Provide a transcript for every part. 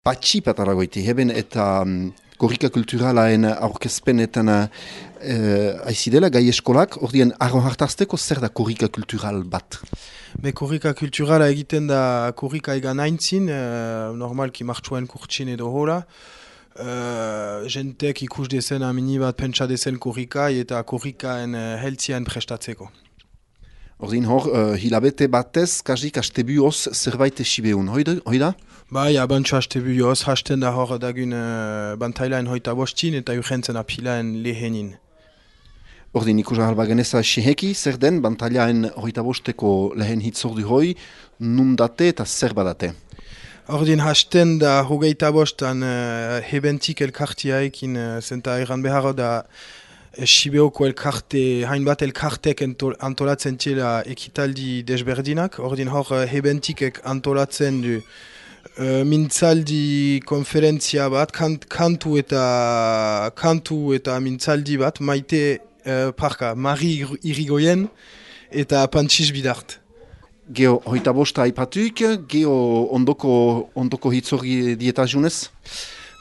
patxi pataragoiti, heben eta korrika kulturalaen aurkezpenetan aizidela gai eskolak, ordien arro hartazteko zer da korrika kultural bat? Korrika kulturala egiten da korrika egan aintzin, normalki martxuen kurtsin edo hola. Jentek ikus dezen amini bat pentsa dezen korrikai eta korrikaen heltzian prestatzeko. Ordin hor, hilabete batez, kasik astebioz zerbait esibeun, hoi da? Bai, abantxo astebioz, hasten da hor dagun bantailaen hoita bostin eta urgentzen apilaen lehenin. Ordin ikus ahalba geneza seheki, zer den bantailaen hoita bosteko lehen hitzordu hoi, nun date eta zer badate? Ordin hasten da hogeita bostan hebentik elkartiaekin zenta egan behar da Sibeoko elkarte, hainbat elkartek antolatzen txela ekitaldi desberdinak. Ordin hor hebentikek antolatzen du mintzaldi konferentzia bat, kantu eta mintzaldi bat, maite Mari Irigoyen eta Pantsiz Bidart. Geo hoita bosta aipatuik, geo ondoko hitzorgi dietajunez?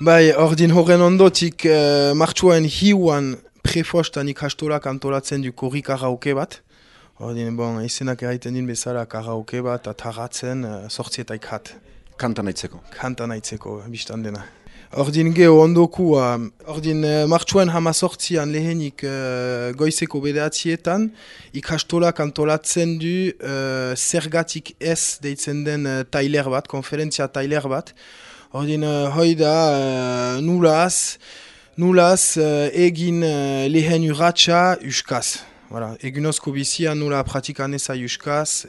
Bai, ordin horren ondotik martxuan hiuan prefostan ikastolak antolatzen du korri karaoke bat. Ordin, izenak erraiten din bezala karaoke bat, ataratzen, sortzietaik hat. Kanta nahitzeko? Kanta nahitzeko, biztan dena. Ordin geho ondokua, ordin martxuan hamazortzian lehenik goizeko bedeatzietan, ikastolak antolatzen du zergatik ez deitzen den tailer bat, konferentzia tailer bat. Ordin hoi da nulaz egin lehen urratxa uskaz. Egunozko bizia nula pratikan eza uskaz,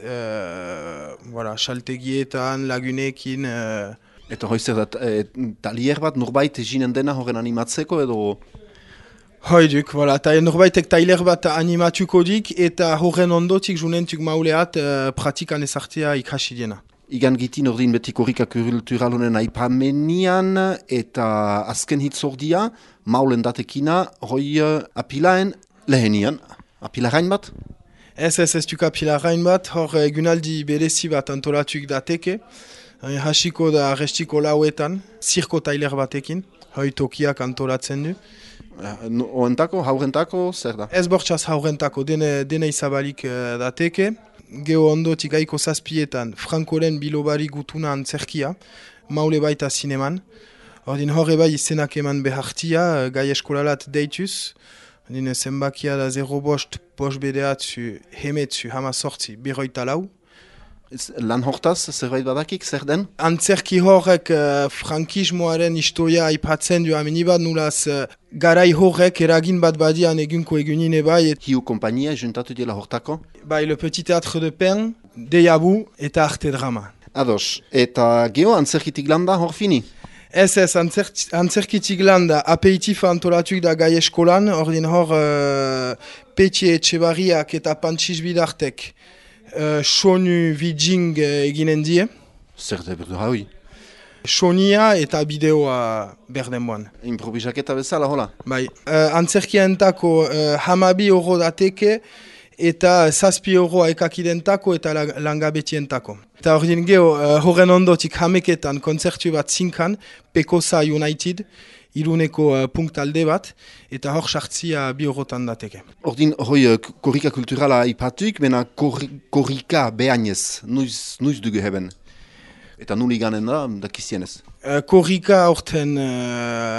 saltegietan, lagunekin. Eta hoi zer da, talier bat norbait eginen dena horren animatzeko edo? Hoiduk, norbaitek tailer bat animatuko dik eta horren ondotik junentuk mauleat pratikan ezartea ikasi diena. Igan gitin ordin beti korrika kultural honen aipamenian eta azken hitzordia, maulen datekina, hoi apilaen lehenian. Apilarain bat? Ez duk apilarain bat, hor egunaldi berezi bat antolatuk dateke. Hasiko da restiko lauetan, zirko tailer batekin, hoi tokiak antolatzen du. Oentako, haurentako, zer da? Ez bortxaz haurentako, dena izabalik dateke. Geho ondotik gaiko zazpietan, Frankoren bilobari gutuna antzerkia, maule baita zineman. Ordin horre bai izenak eman behartia, gai eskolalat deituz. Ordin zenbakia da 0 bost, bost bedeatzu, hemetzu, hamazortzi, berroita lau. Lan hortaz, zerbait badakik, zer den? Antzerki horrek frankismoaren historia aipatzen du amenibat, nulaz garai horrek eragin bat badian egunko egunine bai. Hiu kompainia juntatu dela hortako? Bai, Le Petit Théâtre de Pen, Deiabu eta Arte Drama. Ados, eta geho antzerkitik landa hor fini? Ez, antzerkitik landa apeitifa antolatuk da gai eskolan, ordin hor Petxe Etxebarriak eta Pantsiz Bidartek sonu vidjing eginen die. Zer da berdu haui? Sonia eta bideoa berdenboan. Improvisaketa bezala, hola? Bai, antzerkientako hamabi euro dateke eta 7 euro ekakidentako eta langabetientako. Eta ordin geho, horren ondotik hameketan kontzertu bat zinkan, Pekosa United, Iruneko punktalde bat, eta hor sartzia 2 eurotan dateke. Ordin, hoi korrika kulturala ipatuik, mena korrika behainez, nuiz dugu heben? Eta nuli ganen da, dakizienez? Korrika orten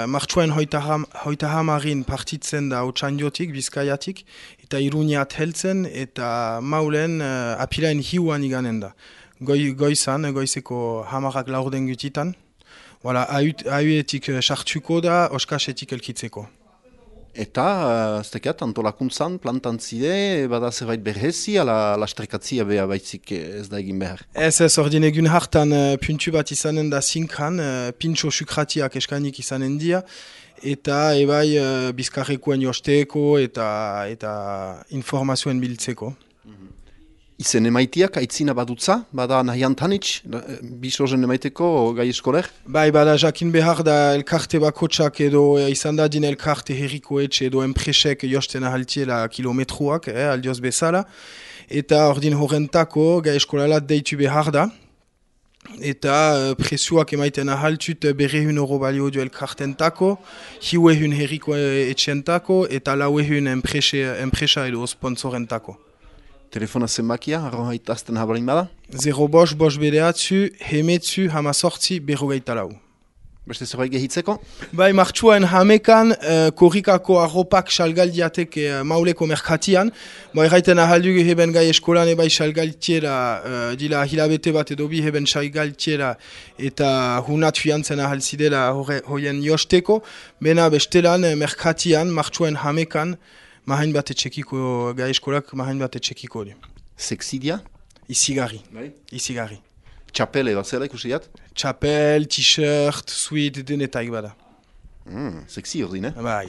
martxuen hoita hamarin partitzen da Otxandiotik, Bizkaiatik, eta Iruniat heltzen, eta maulen apilaen hiuan iganen da. Goizeko hamarak laurden gutitan. Hauetik sartuko da, oskasetik elkitzeko. Eta, zekat, antolakuntzan, plantantzide, bada zerbait berhezi, ala lastrekatzia beha baitzik ez da egin behar? Ez, ordin egun hartan puntu bat izanen da zinkan, pintxo sukratiak eskanik izanen dia, eta ebai bizkarrekoen josteko eta informazioen biltzeko. Izen emaitiak, aitzina badutza, bada nahian tanitz, bisozen emaiteko gai eskoler? Bai, bada jakin behar da elkarte bakotsak edo izan dadin elkarte herrikoetxe edo enpresek josten ahaltiela kilometruak, aldioz bezala. Eta ordin horrentako gai eskolalat deitu behar da. eta presioak emaiten ahaltut €100 balio du elkartentako, 500 herriko etxentako, eta 400 enpresa edo sponsorentako. Telefona zenbakia, arro haitazten habalin bada? 0 bedeatzu, hemetzu, hamazortzi, 44. Beste zerbait gehitzeko? Bai, martxuan hamekan, korrikako arropak salgaldiatek mauleko merkatian. Bai, erraiten ahaldugu heben gai eskolan ebai salgaltiera, dila hilabete bat edo bi heben salgaltiera eta hunat fiantzen ahalzidela hoien josteko. Bena bestelan merkatian, martxuan hamekan, mahain bat etxekiko, gai eskolak mahain bat etxekiko. Sexidia? Izigarri. Bai. Izigarri. Txapel edo zela ikusiat? Txapel, t-shirt, suite, denetaik bada. Sexy ordin, Bai.